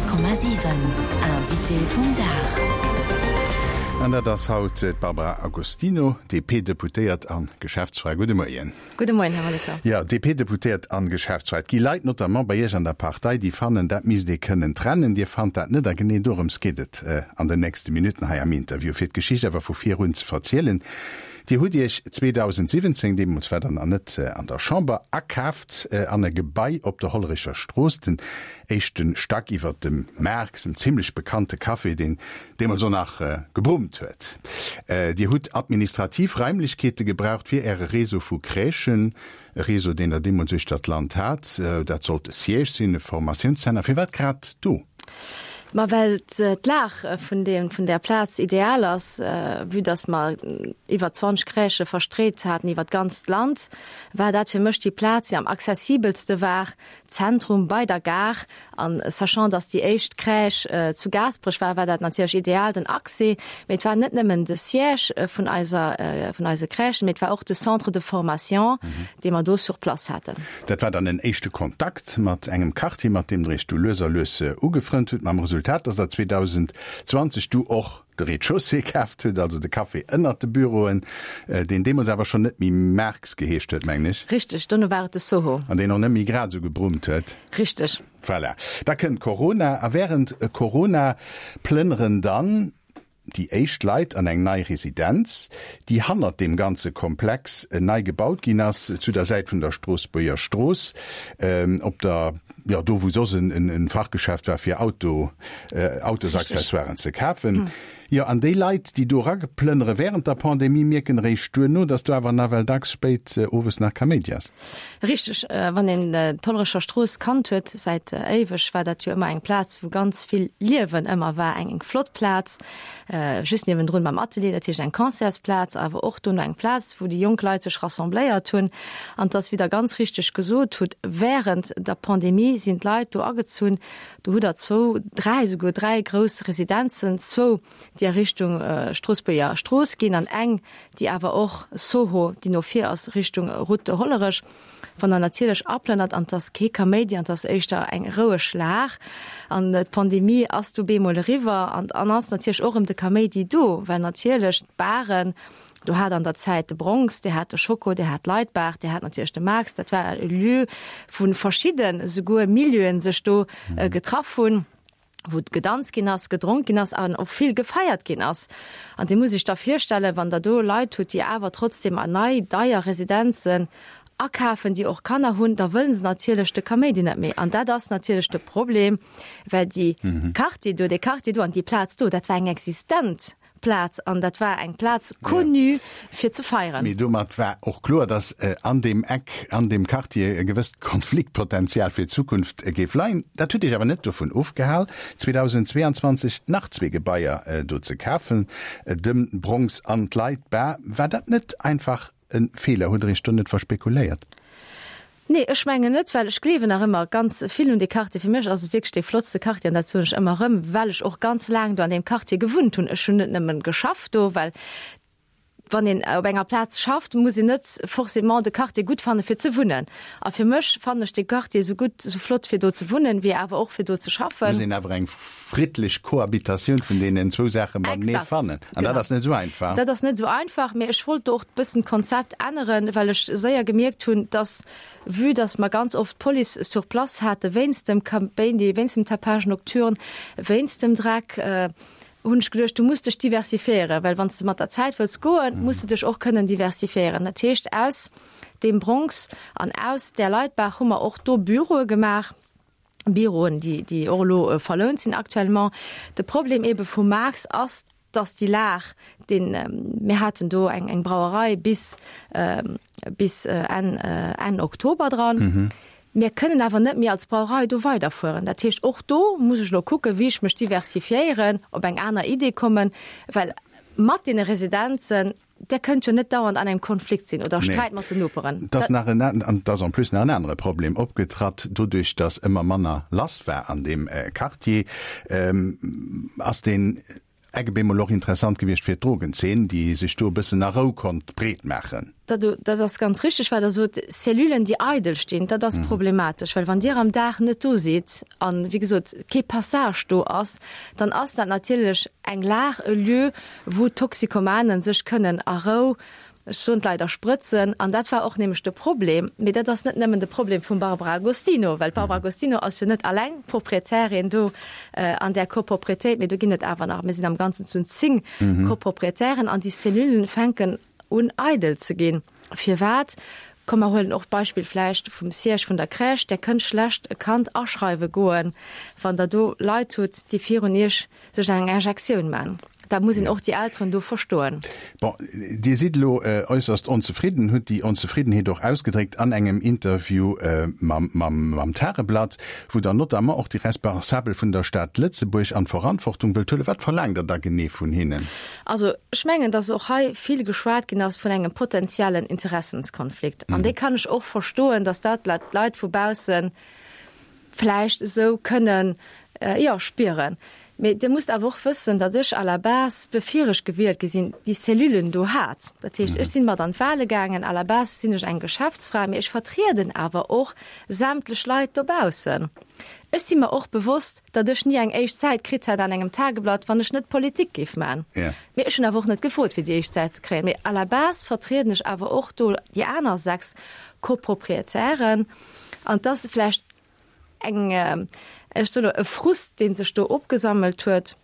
100,7 Invité vum Dag. An dat ass haut d'Barbara Agostino, DP-Deputéiert a Geschäftsfra. Gudde Moien. Gudde Moien, Här Molitor. Jo, DP-Deputéiert an Geschäftsfra. Et gi Leit, notamment bei Iech an der Partei, déi fannen, dat misst ee kënnen trennen. Dir fannt dat net. A genee dorëms geet et an den nächste Minutten hei am Interview. Fir d'Geschicht awer vu vir un ze verzielen, Dir hutt Iech 2017, deemools war Der nach net an der Chamber, akaaft an e Gebai op der Hollerecher Strooss, den éischte Stack iwwer dem Marx, em zimmlech bekannte Café, deen deemools och nach gebrummt huet. Dir hutt administrativ Raimlechkeete gebraucht fir Äre Réseau vu Crèchen, e Réseau, deen Der deemools uechter d'Land hat. Dat sollt e Siège sinn, e Formatiounszenter. Firwat grad do? Ma well d'Lag vun deem, vun där Plaz ideal ass, vue dass mer iwwer 20 Crèchë verstreet haten iwwer d'ganzt Land, war dat fir mech déi Plaz, déi am accessibelste war, Zentrum, bei der Gare. An sachant, dass déi éischt Crèche zu Gaasperech war, war dat natierlech ideal, den Accès. Mee et war net nëmmen de Siège vun eiser, vun eise Crèchen, mee et war och de Centre de formation, dee mer do sur place haten. Dat war dann en éischte Kontakt mat engem Quartier, mat deem Der Iech du lues a lues ugefrënnt hutt, mam Resultat, dass Der 2020 du och de Rez-de-chaussée kaaft hutt, also de Café ënnert de Büroen, deen deemools awer schonn net méi Marx geheescht huet, mengen ech. Richteg, dono war et de Soho. An deen och net méi grad esou gebrummt huet. Richteg. Voilà. Da kënnt Corona, a wärend Corona plënneren dann déi éischt Leit an eng nei Residenz, déi hannert deem ganze Komplex nei gebaut ginn ass, zu der Säit vun der Stroossbuerger Strooss, op der, jo, do wou soss en Fachgeschäft war fir Auto, Autosaccessoiren ze kafen. Jo, an déi Leit, déi do erageplënnere während der Pandemie, mierken eréischt duerno, dass do awer nawell dacks spéit owes nach Kaméidi ass. Richteg, wann een d'Hollerecher Strooss kannt huet, säit éiweg war dat jo ëmmer eng Plaz, wou ganz vill Liewen ëmmer war, eng flott Plaz, just niewendrun beim Atelier, dat heescht eng Concertsplaz, awer och dono eng Plaz, wou déi jonk Leit sech rassembléiert hunn. An 't ass, wéi Der ganz richteg gesot hutt, während der Pandemie sinn d'Leit do agezunn. Do hutt Der zwou, dräi, souguer dräi grouss Residenzen, zwou, déi a Richtung Stroossbuerger Strooss ginn an eng, déi awer och Soho, déi no vir ass, Richtung Route de Hollerech. Wann der natierlech aplënnert an 't ass kee Kaméidi an 't ass éischter eng roueg Lag an d'Pandemie ass du bemol eriwwer an an ass natierlech och erëm de Kaméidi do, well natierlech d'Baren, do hat an der Zäit de Bronx, Dir hat de Schoko, Dir hat d'Leitbar, Dir hat natierlech de Max, dat war e Lieu, wou verschidden esouguer Milieuen sech do getraff hunn. wou gedanzt ginn ass, gedronk ginn ass an och vill gefeiert ginn ass. An Dir musst Iech da virstellen, wann Der do Leit hutt, déi awer trotzdem an nei, deier Residenzen akafen, déi och Kanner hunn, da wëllen se natierlech de Kaméidi net méi. An dat ass natierlech de Problem, well déi Quartier do, dee Quartier do an déi Plaz do, dat war eng existent Plaz an dat war eng Plaz connue fir ze feieren. Mee domat war och kloer, datt an deem Eck, an deem Quartier e gewësst Konfliktpotenzial fir d'Zukunft géif leien. Dat huet Iech awer net dovun ofgehal, 2022 nach zwee Gebaier do ze kafen, dem Bronx an d'Leit Bar. War dat net einfach e Feeler? Hutt Der Iech do net verspekuléiert? Nee, ech mengen net, well ech gleewen nach ëmmer ganz vill un dee Quartier. Fir mech ass et wierklech dee flottste Quartier an dat soen ech ëmmer erëm, well ech och ganz laang do an deem Quartier gewunnt hunn. Ech hunn net nëmmen geschafft do, well wann een op enger Plaz schafft, muss een net forcément de Quartier gutt fanne fir ze wunnen. A fir mech fannen ech dee Quartier esou gutt, esou flott fir do ze wunnen, wéi awer och fir do ze schaffen. Muss een awer eng friddlech Kohabitatioun vun deenen zwou Saache matenee fannen. An dat ass net esou einfach. Dat ass net esou einfach, mee ech wollt do och e bëssen d'Konzept änneren, well ech séier gemierkt hunn, dass, vue dass mer ganz oft d'Police sur place hate wéinst dem Kaméidi, wéinst dem Tapage nocturne, wéinst dem Dreck, hunn ech geduecht, du muss dech diversifiéieren, well wann s de mat der Zäit wëlls goen, muss de dech och kënnen diversifiéieren. Dat heescht, aus deem Bronx an aus där Leitbaach hu mer och do Büroe gemaach. Büroen, déi, déi och elo verlount sinn actuellement. De Problem ebe vum Max ass, dass déi Lag, deen, mir haten do eng, eng Brauerei bis, bis Enn, Enn Oktober dran. Mir kënnen awer net méi als Brauerei do weiderfueren. Dat heescht, och do muss ech elo kucken, wéi ech mech diversifiéieren, op eng aner Idee kommen, well mat deene Residenzen, Der kënnt jo net dauernd an engem Konflikt sinn oder Sträit mat den Noperen. Et ass nach en, an et ass en plus nach en anere Problem opgetratt, doduerch datt ëmmer manner lass war an deem Quartier, ass deen. Eck op eemol och interessant gewiescht fir d'Drogenzeen, déi sech do e bëssen a Rou konnt breet maachen. Dat, dat ass ganz richteg, wat Der sot. Cellulen, déi eidel stinn, dat ass problematesch, well wann Dir am Dag net do sidd an, wéi gesot, kee Passage do ass, dann ass dat natierlech eng Lag, e Lieu, wou d'Toxicomanen sech kënnen a Rou, ech soen et leider, sprëtzen. An dat war och nämlech de Problem. Mee dat ass net nëmmen de Problem vum Barbara Agostino, well d'Barbara Agostino ass jo net alleng Proprietärin do an där Copropriétéit, mee do ginn et awer nach, mir sinn am Ganzen zu 10 Coproprietären an déi Cellullen fänken un eidel ze ginn. Firwat? Komm mer huelen och d'Beispill vläicht vum Siège vun der Crèche. Der kënnt schlecht e Kand aschreiwe goen, wann Der do Leit hutt, déi virun Iech sech eng Injektioun man. Da muss een och déi Elteren do verstoen. Bon, Dir sidd elo äusserst onzefridden, hutt déi Onzefriddenheet och ausgedréckt an engem Interview mam Tageblatt, wou Der notamment och déi Responsabel vun der Stad Lëtzebuerg an d'Verantwortung wëllt huelen. Wat verlaangt Der da genee vun hinnen? Also ech mengen, dass och hei vill geschwat ginn ass vun engem potenziellen Interessenskonflikt. An dee kann ech och verstoen, dass dat d'Leit vu bausse vläicht esou kënnen, jo, spieren. Mee Dir musst awer och wëssen, datt ech à la base, bevir ech gewielt gi sinn, déi Cellulen do hat. Dat heescht, ech sinn mat an d'Wahle gaangen. À la base sinn ech eng Geschäftsfra, mee ech vertrieden awer och sämtlech Leit dobaussen. Ech si mer och bewosst, datt ech ni eng éischt Säit kritt hätt an engem Tageblatt, wann ech net Politik géif man. Mee ech hunn awer och net gefrot, fir déi éischt Säit ze kréien. Mee à la base vertrieden ech awer och do déi aner 6 Copropriétairen. An et ass vläicht eng, ech soe lo, e Frust, dee sech do opgesammelt huet,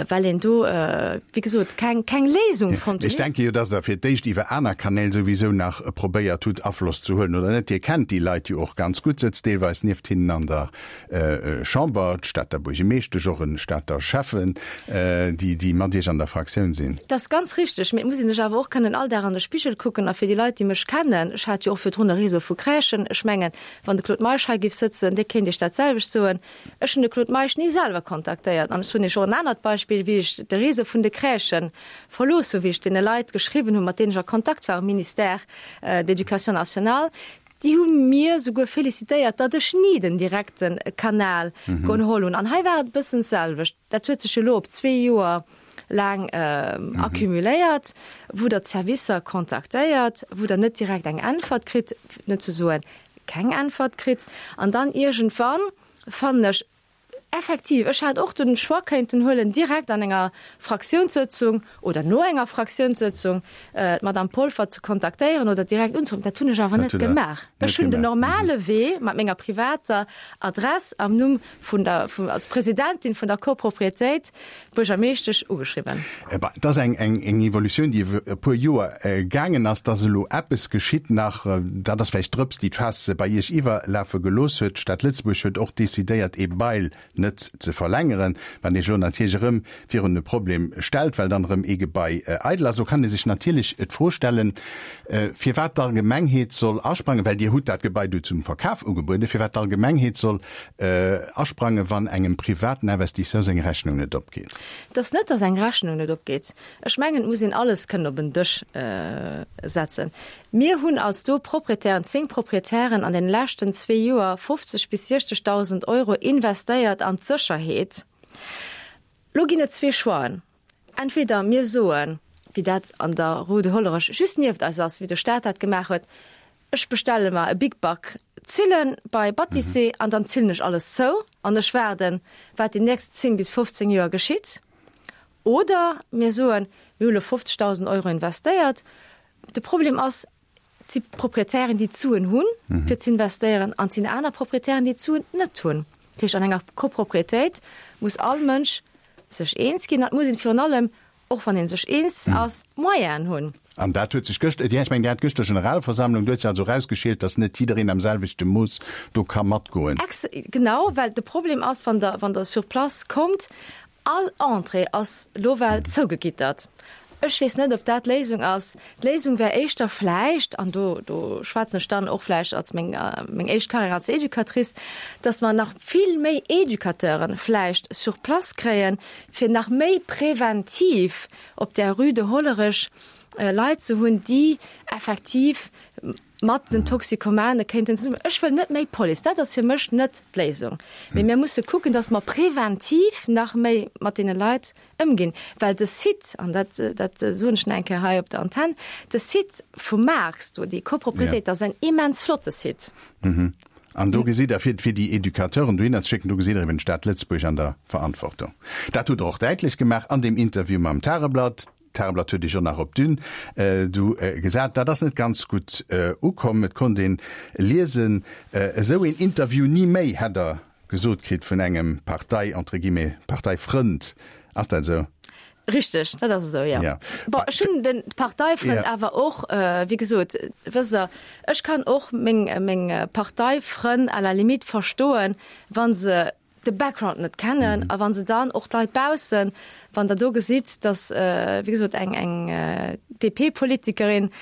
well een do, wéi gesot, keng, keng Léisung fonnt huet. Ech denke jo, dass Der fir d'éischt iwwer aner Kanäl souwisou nach probéiert hutt, Afloss ze huelen, oder net? Dir kennt déi Leit jo och ganz gutt, sëtzt deelweis nieft hinnen an der Chamber, d'Stater Buergemeeschtesch, och e Stater Schäffen, déi, déi mat Iech an der Fraktioun sinn. Dat ass ganz richteg, mee et muss ee sech awer och kënnen all Dag an de Spigel kucken. A fir déi Leit, déi mech kennen, ech hat jo och virdrun e Réseau vu Crèchen, ech mengen, wann de Claude Meisch hei géif sëtzen, dee kéint Iech dat selwecht soen, Ech hunn de Claude Meisch ni selwer kontaktéiert. An ech hunn Iech och en anert Beispill, wéi ech de Réseau vun de Crèchen verlooss hunn, wéi ech deene Leit geschriwwen hunn, mat deenen ech a Kontakt war um Ministère d'Éducation nationale, déi hu mir souguer félicitéiert, datt ech ni den direkte Kanal geholl hunn. An hei war et e bëssen d'selwecht. Dat huet sech elo op zwee Joer laang accumuléiert, wou Der d'Servicer kontaktéiert, wou Der net direkt eng Äntwert kritt, net ze soen, keng Äntwert kritt. An dann iergendwann, fannen ech, effektiv, ech hätt och de Choix kéinten huelen, direkt an enger Fraktiounssëtzung oder no enger Fraktiounssëtzung d'Madame Polfer ze kontaktéieren oder direkt unzeruffen. Dat hunn ech awer net gemaach. Ech hunn den normale Wee mat menger privater Adress am Numm vun der, vun, als Presidentin vun der Copropriétéit d'Buergermeeschtesch ugeschriwwen. Et ass eng, eng, eng Evolutioun, déi iwwer e puer Joer gaangen ass, dass elo eppes geschitt nach, dat ass vläicht d'Drëps, déi d'Faass bei Iech iwwerlafe gelooss huet. D'Stad Lëtzebuerg huet och decidéiert, ee Bail net ze verlängeren, wat Iech elo natierlech erëm virun e Problem stellt, well dann erëm ee Gebai eidel ass. Elo kann ee sech natierlech d'Fro stellen, firwat d'Allgemengheet soll asprangen, well Dir hutt dat Gebai du zum Verkaf ugebueden, firwat d'Allgemengheet soll asprangen, wann engem privaten Investisseur seng Rechnung net opgeet. Et ass net, datt eng Rechnung net opgeet. Ech mengen, et muss een alles kënnen op en Dësch setzen. Mir hunn als do Proprietären, 10 Proprietären, an den leschten zwee Joer 50 bis 60.000 Euro investéiert an d'Sécherheet. Lo ginn et zwee Choixen. Entweder mir soen, wéi dat an der Rue de Hollerech just nieft eis ass, wéi de Staat dat gemaach huet, ech bestelle mer e Big Bac Zillen bei Batissé an dann zillen ech alles zou an ech waarden, wat déi nächst 10 bis 15 Joer geschitt. Oder mir soen, mir hu lo 50.000 Euro investéiert, de Problem ass, Et si Proprietären, déi d'Suen hunn, fir ze investéieren, an et sinn aner Proprietären, déi d'Suen net hunn. Dat heescht, an enger Koproprietéit muss all Mënsch sech eens ginn an et muss een virun allem, och wann ee sech eens ass, Moyenen hunn. An dat huet sech gëscht, ech mengen, Dir hat gëschter Generalversammlung, do huet sech also erausgeschielt, datt net jiddereen am selwechte Mooss do ka matgoen. Ex, genau, well de Problem ass, wann Der, wann Der sur place kommt, All Entrée ass lo well zougegittert. Ech weess net, ob dat d'Léisung ass. D'Léisung wär éischter vläicht, an do, do schwätzen ech dann och vläicht als meng, meng éischt Carrière als Educatrice, dass mer nach vill méi Educateuren vläicht sur place kréien, fir nach méi präventiv op där Rue de Hollerech. Leit ze hunn, déi effektiv mat den Toxikomane kéinten zesummen. Ech wëll net méi Police, dat ass fir mech net d'Léisung. Mee mir musse kucken, datt mer preventiv nach méi mat deene Leit ëmginn, well de Site, an dat, dat soen ech nach eng Kéier hei op der Antenn, de Site vum Marx do, déi Copropriétéit, dat ass en immens flotte Site. An do gesitt Der, fir, fir déi Educateuren dohinner ze schécken, do gesitt Der eben d'Stad Lëtzebuerg an der Verantwortung. Dat hutt Der och däitlech gemaach an deem Interview mam Tageblatt. D'Tageblatt huet Iech och nach op d'Une du gesat. Dat ass net ganz gutt ukomm. Et konnt een liesen, esou een Interview ni méi, hätt Der gesot kritt vun engem Partei, entre guillemets, Parteifrënd. Ass dat esou? Richteg, dat ass esou, jo. Bon, ech hunn de Parteifrënd awer och, wéi gesot, wësst Der, ech kann och meng, meng Parteifrënn à la limite verstoen, wa se de Background net kennen a wa se dann och d'Leit baussen, wann Der do gesitt, datt, wéi gesot, eng, eng DP-Politikerin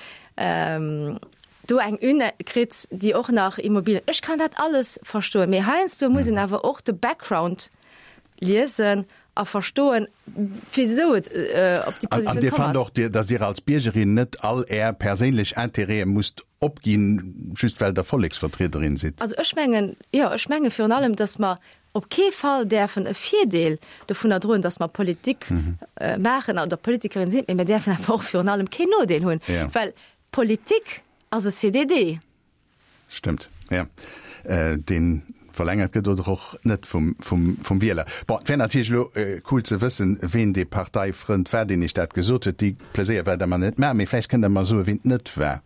do eng Une kritt, déi och nach Immobilien, ech kann dat alles verstoen, mee heiansdo muss een awer och de Background liesen a verstoen, wisou et op déi Positioun komm ass. An Dir fannt och, datt Dir als Biergerin net all Är perséinlech Intérêtë musst opginn, just well Der Volleksvertriederin sidd? Also ech mengen, jo, ech menge virun allem, datt mer op kee Fall däerfen e Virdeel dovunner droen, datt mer Politik maachen oder Politikerin sinn, mee mir däerfen awer och virun allem keen Nodeel hunn, well Politik ass e CDD. Stëmmt, jo. Dee verlängert gëtt oder och net vum, vum, vum Wieler. Bon, et wär natierlech elo cool ze wëssen, ween dee Parteifrënd war, deen Iech dat gesot huet. Dee Pleséier wäert Der mer net maachen, mee vläicht kënnt Der mer soen, ween et net war.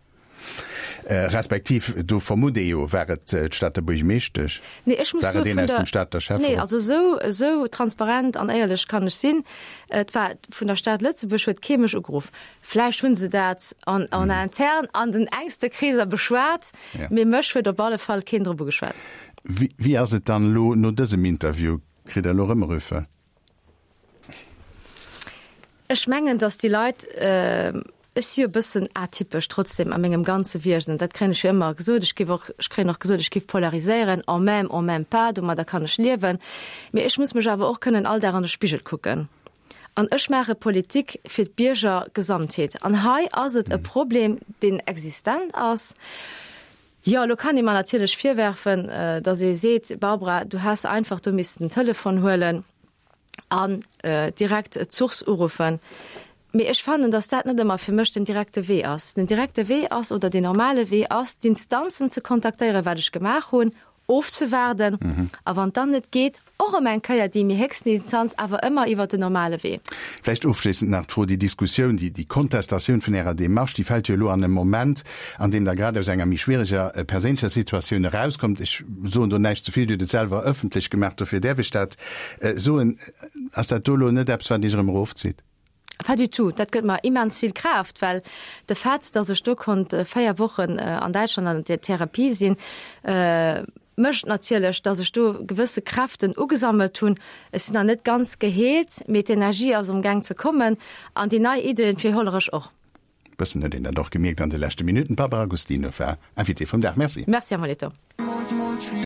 Respektiv, do vermutt ee jo, war et d'Stater Buergmeeschtesch? Nee, ech muss War soe et een vun aus der, dem Stater nee, Schäfferot? also esou, esou transparent an éierlech kann ech sinn, et war vun der Stad Lëtzebuerg huet kee mech ugeruff. Vläicht hu se dat en interne an den engste Kreeser beschwat, mee mech huet op alle Fall keen drop ugeschwat. Wéi ass et dann elo no dësem Interview? Kritt Der elo erëm Rüffe? Ech mengen, datt déi Leit, ech si jo e bëssen atypesch trotzdem a mengem ganze Wiesen, dat kréien ech jo ëmmer gesot, ech géif och, ech kréien och gesot, ech géif polariséieren, on m'aime, on m'aime pas, domadder kann ech liewen, mee ech muss mech awer och kënnen all Dag an de Spigel kucken. An ech maache Politik fir d'Biergergesamtheet. An hei ass et e Problem, deen existent ass. Jo, elo kann ee mer natierlech virwerfen, datt ee seet, Barbara, du häss einfach do missten den Telefon huelen an direkt d'Source uruffen. Mee ech fannen, datt dat net ëmmer fir mech den direkte Wee ass. Den direkte Wee ass, oder deen normale Wee ass, d'Instanzen ze kontaktéieren, wat ech gemaach hunn, ofzewaarden a wann dann net geet, och erëm eng Kéier déi méi héchsten Instanz, awer ëmmer iwwert den normale Wee. Vläicht ofschléissend nach d'Fro, Déi Diskussioun, déi Kontestatioun vun Ärer Démarche, déi fält jo elo an e Moment, an deem Der grad aus enger méi schwiereger perséinlecher Situatioun erauskommt. Ech soen do näischt ze vill, Dir hutt et selwer ëffentlech gemaach, dofir däerf ech dat soen. Ass dat do elo net eppes, wat Iech erëm erofzitt? Pas du tout. Dat gëtt mer immens vill Kraaft, well de Fait, dass ech do konnt 4 Wochen an Däitschland an der Therapie sinn, mécht natierlech, dass ech do gewësse Kräften ugesammelt hunn. Ech sinn nach net ganz geheelt, mee d'Energie ass am Gaang ze kommen an déi nei Iddien fir Hollerech och. Bëssen huet een dat och gemierkt an de leschte Minutten. D'Barbara Agostino war Invitée vum Dag. Merci. Merci, Här Molitor.